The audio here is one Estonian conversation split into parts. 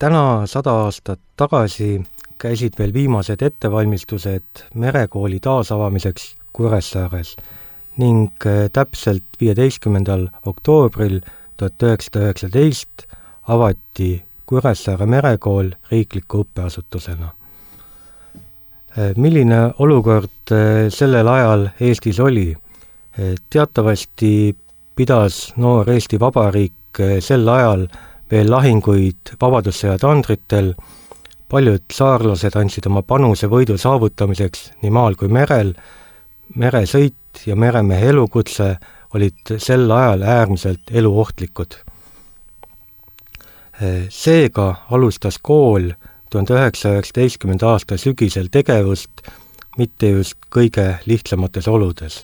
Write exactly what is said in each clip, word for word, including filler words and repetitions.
Täna sada aastat tagasi käisid veel viimased ettevalmistused merekooli taasavamiseks Kuressaares ning täpselt viieteistkümnendal oktoobril tuhat üheksasada üheksateist avati Kuressaare merekool riikliku õppeasutusena. Milline olukord sellel ajal Eestis oli? Teatavasti pidas noor Eesti Vabariik sel ajal veel lahinguid vabadussõja tandritel, paljud saarlased andsid oma panuse võidu saavutamiseks nii maal kui merel, meresõit ja meremehe elukutse olid sel ajal äärmiselt eluohtlikud. Seega alustas kool tuhande üheksasaja üheksateistkümnenda aasta sügisel tegevust mitte just kõige lihtsamates oludes.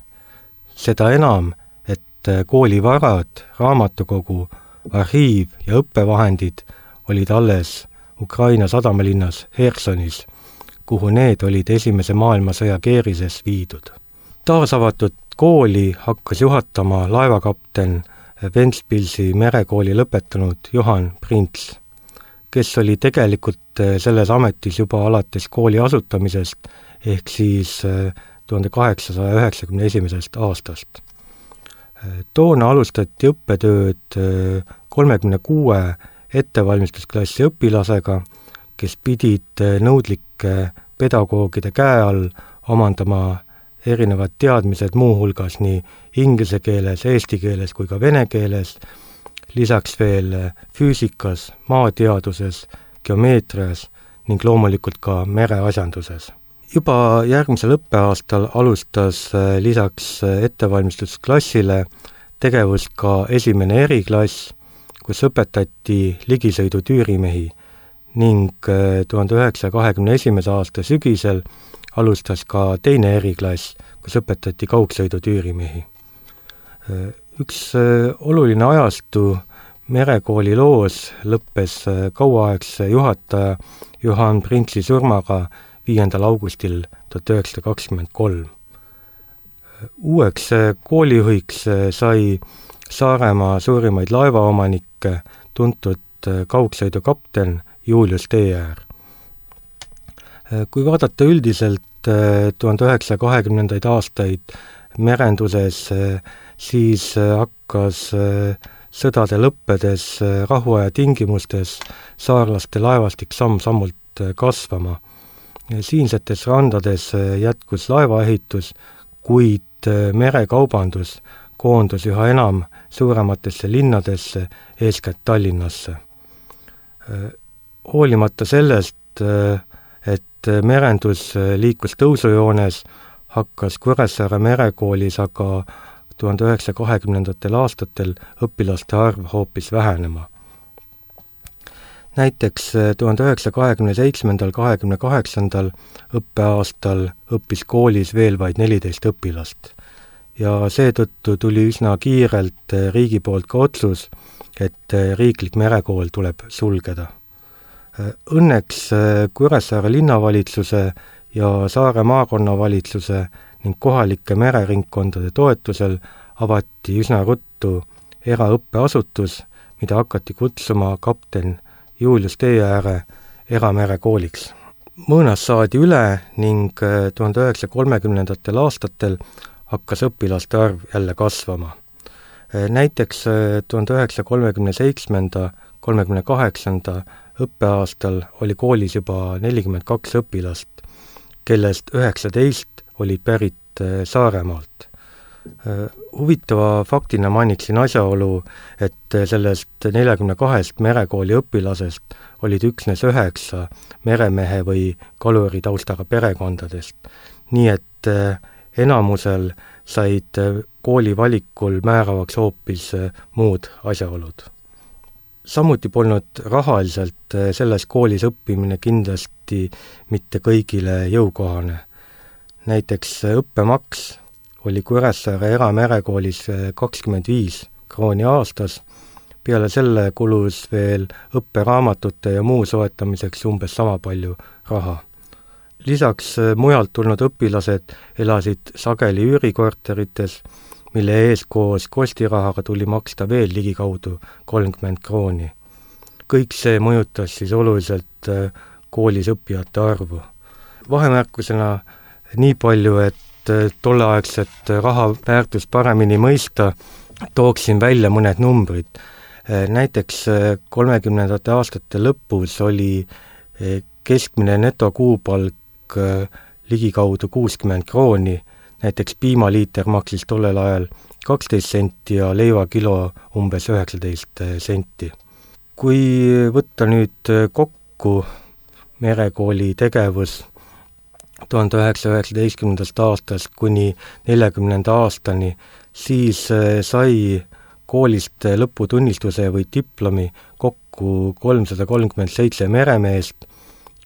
Seda enam, et kooli varad, raamatukogu, arhiiv ja õppevahendid olid alles Ukraina sadamalinnas Hersonis, kuhu need olid esimese maailmasõja keerises viidud. Taasavatud kooli hakkas juhatama laevakapten Ventspilsi merekooli lõpetanud Johan Prints, kes oli tegelikult selles ametis juba alates kooli asutamisest ehk siis tuhande kaheksasaja üheksakümne esimesest aastast. Toona alustati õppetööd kolmekümne kuue ettevalmistusklassi õpilasega, kes pidid nõudlike pedagoogide käe all omandama erinevad teadmised muuhulgas nii inglise keeles, eesti keeles kui ka vene keeles, lisaks veel füüsikas, maateaduses, geomeetrias ning loomulikult ka mereasjanduses. Juba järgmisel õppeaastal alustas lisaks ettevalmistusklassile tegevust ka esimene eriklass, kus õpetati ligisõidu tüürimehi ning tuhande üheksasaja kahekümne esimese aasta sügisel alustas ka teine eriklass, kus õpetati kaugsõidu tüürimehi. Üks oluline ajastu merekooli loos lõppes kauaaegse juhataja Johan Printsi surmaga viiendal augustil tuhat üheksasada kakskümmend kolm. Uueks koolijuhiks sai Saaremaa suurimaid laevaomanikke tuntud kaugsõidu kapten Julius Teeäär. Kui vaadata üldiselt tuhande üheksasaja kahekümnendaid aastaid merenduses, siis hakkas sõdade lõppedes rahuaja tingimustes saarlaste laevastik samm-sammult kasvama. Siinsetes randades jätkus laevaehitus, kuid merekaubandus koondus üha enam suurematesse linnadesse, eeskätt Tallinnasse. Hoolimata sellest, et merendus liikus tõusujoones, hakkas Kuressaare merekoolis aga tuhande üheksasaja kahekümnendatel aastatel õpilaste arv hoopis vähenema. Näiteks tuhande üheksasaja kahekümne seitsmendal kahekümne kaheksandal õppeaastal õppis koolis veel vaid neliteist õpilast ja seetõttu tuli üsna kiirelt riigi poolt ka otsus, et riiklik merekool tuleb sulgeda. Õnneks Kuressaare linnavalitsuse ja Saare maakonnavalitsuse ning kohalike mereringkondade toetusel avati üsna ruttu eraõppeasutus, mida hakati kutsuma kapten Julius Teeääre eramerekooliks. Mõõnas saadi üle ning tuhande üheksasaja kolmekümnendatel aastatel hakkas õpilaste arv jälle kasvama. Näiteks tuhande üheksasaja kolmekümne seitsmenda kolmekümne kaheksanda õppeaastal oli koolis juba nelikümmend kaks õpilast, kellest üheksateist olid pärit Saaremaalt. Huvitava faktina mainiksin asjaolu, et sellest neljakümne kahest merekooli õpilasest olid üksnes üheksa meremehe või kaluri taustaga perekondadest, nii et enamusel said kooli valikul määravaks hoopis muud asjaolud. Samuti polnud rahaliselt selles koolis õppimine kindlasti mitte kõigile jõukohane. Näiteks õppemaks oli Kuressaare eramerekoolis kakskümmend viis krooni aastas, peale selle kulus veel õpperaamatute ja muu soetamiseks umbes sama palju raha. Lisaks mujalt tulnud õpilased elasid sageli üürikorterites, mille ees koos kostirahaga tuli maksta veel ligikaudu kolmkümmend krooni. kõik see mõjutas siis oluliselt koolis õppijate arvu. Vahemärkusena nii palju, et tolleaegset raha väärtust paremini mõista, tooksin välja mõned numbrid. Näiteks kolmekümnendate aastate lõpus oli keskmine netokuupalk ligikaudu kuuskümmend krooni, näiteks piimaliiter maksis tollel ajal kaksteist senti ja leivakilo umbes üheksateist senti. Kui võtta nüüd kokku Merekooli tegevus tuhande üheksasaja üheksateistkümnendast aastast kuni neljakümnenda aastani, siis sai koolist lõputunnistuse või diplomi kokku kolmsada kolmkümmend seitse meremeest,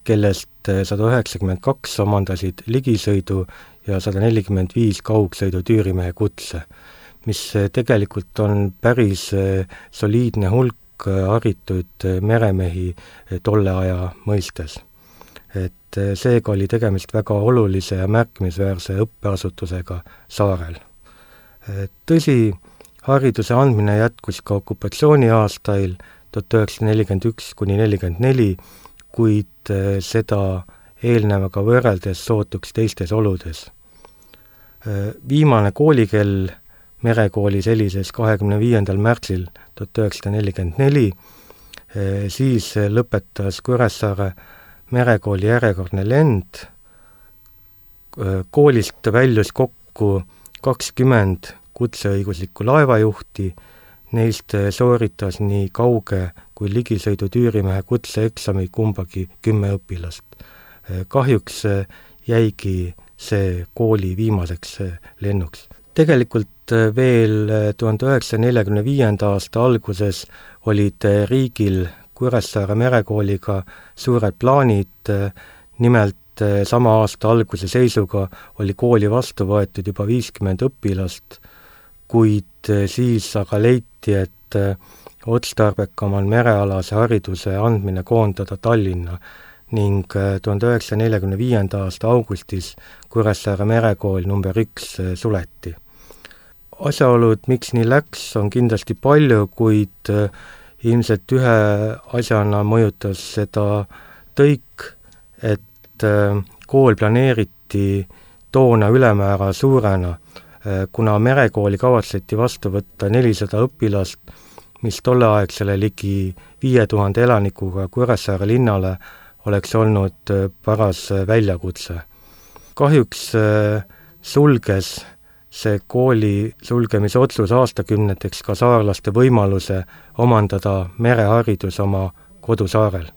kellest sada üheksakümmend kaks omandasid ligisõidu ja sada nelikümmend viis kaugsõidu tüürimehe kutse, mis tegelikult on päris soliidne hulk haritud meremehi tolle aja mõistes. Et seega oli tegemist väga olulise ja märkimisväärse õppeasutusega saarel. Tõsi, hariduse andmine jätkus ka okupatsiooni aastail tuhat üheksasada nelikümmend üks kuni nelikümmend neli, kuid seda eelnevaga võrreldes sootuks teistes oludes. Viimane koolikell Merekoolis helises kahekümne viiendal märtsil tuhat üheksasada nelikümmend neli, siis lõpetas Kuressaare Merekooli järjekordne lend. Koolist väljus kokku kakskümmend kutseõiguslikku laevajuhti, neist sooritas nii kauge kui ligisõidu tüürimehe kutseeksami kumbagi kümme õpilast. Kahjuks jäigi see kooli viimaseks lennuks. Tegelikult veel tuhande üheksasaja neljakümne viienda aasta alguses olid riigil Kuressaare Merekooliga suured plaanid, nimelt sama aasta alguse seisuga oli kooli vastu võetud juba viiskümmend õpilast, kuid siis aga leiti, et otstarbekam on merealase hariduse andmine koondada Tallinna ning tuhande üheksasaja neljakümne viienda aasta augustis Kuressaare Merekool number üks suleti. Asjaolud, miks nii läks, on kindlasti palju, kuid ilmselt ühe asjana mõjutas seda tõik, et kool planeeriti toona ülemäära suurena, kuna Merekooli kavatseti vastu võtta nelisada õpilast, mis tolleaegsele ligi viie tuhande elanikuga Kuressaare linnale oleks olnud paras väljakutse. Kahjuks sulges see kooli sulgemise otsus aastakümneteks ka saarlaste võimaluse omandada mereharidus oma kodusaarel.